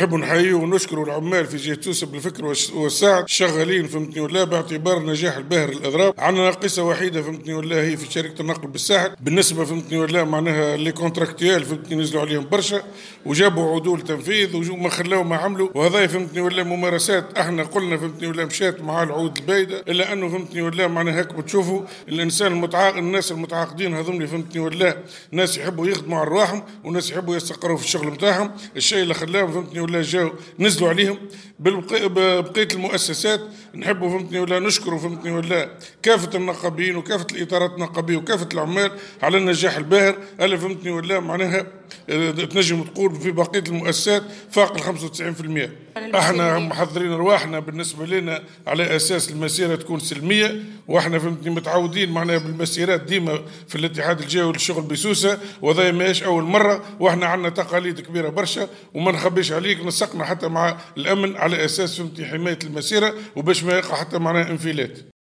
نحب نحيي ونشكروا العمال في جهة سوسة بالفكر والسعد شغالين فهمتني ولا باعتبار النجاح الباهر للاضراب. عندنا ناقصه وحيده فهمتني ولا هي في شركة النقل بالساحل بالنسبة فهمتني ولا معناها les contractuels فهمتني نزلوا عليهم برشا وجابوا عدول تنفيذ وما خلاو ما عملوا، وهذا فهمتني ولا ممارسات احنا قلنا فهمتني ولا مشات مع العود البايده، الا انه فهمتني ولا معناها هيك بتشوفوا الانسان المتعاقد، الناس المتعاقدين هذوم فهمتني ولا ناس يحبوا يخدموا على رواحهم وناس يحبوا يستقروا في الشغل نتاعهم، الشيء اللي خلاهم فهمتني ولا جاو نزلوا عليهم. بقية المؤسسات نحبوا فهمتني ولا نشكروا فهمتني ولا كافة النقابيين وكافة الاطارات النقابيه وكافة العمال على النجاح الباهر اللي فهمتني ولا معناها تنجم تقول في بقية المؤسسات فاق ال 95%. احنا محضرين رواحنا بالنسبة لنا على اساس المسيرة تكون سلمية، واحنا فهمتني متعودين معناها بالمسيرات ديما في الاتحاد الجهوي للشغل بسوسه، وهذا ماهيش اول مرة، واحنا عندنا تقاليد كبيرة برشا وما نخبيش عليك نسقنا حتى مع الامن على اساس فهمتني حماية المسيرة وباش ما يقع حتى معناها انفلات.